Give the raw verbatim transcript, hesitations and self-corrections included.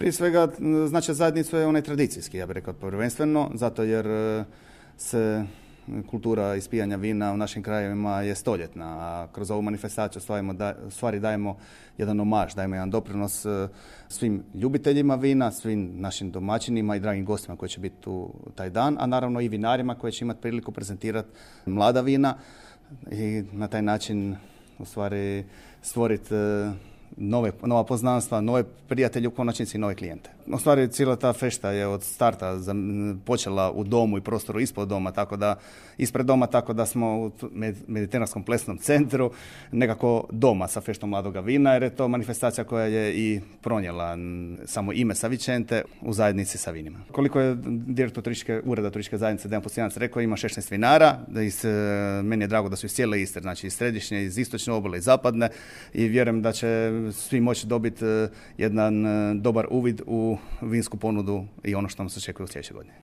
Prije svega, znači zajednicu je onaj tradicijski, ja bih rekao prvenstveno, zato jer se kultura ispijanja vina u našim krajevima je stoljetna, a kroz ovu manifestaciju u stvari dajemo jedan omaž, dajemo jedan doprinos svim ljubiteljima vina, svim našim domaćinima i dragim gostima koji će biti tu taj dan, a naravno i vinarima koji će imati priliku prezentirati mlada vina i na taj način u stvari stvoriti Nove, nova poznanstva, nove prijatelje, u konačnici i nove klijente. U stvari, cijela ta fešta je od starta počela u domu i prostoru ispod doma, tako da, ispred doma, tako da smo u Mediteranskom plesnom centru nekako doma sa feštom mladoga vina, jer je to manifestacija koja je i pronijela samo ime Savicente u zajednici sa vinima. Koliko je direktor turističke, ureda turističke zajednice Dejan Postijanac rekao, ima šesnaest vinara, da iz, meni je drago da su iz cijele Istre, znači iz središnje, iz istočne obale, iz zapadne, i vjerujem da će svi moći dobiti jedan dobar uvid u vinsku ponudu i ono što nam se očekuje u sljedećoj godini.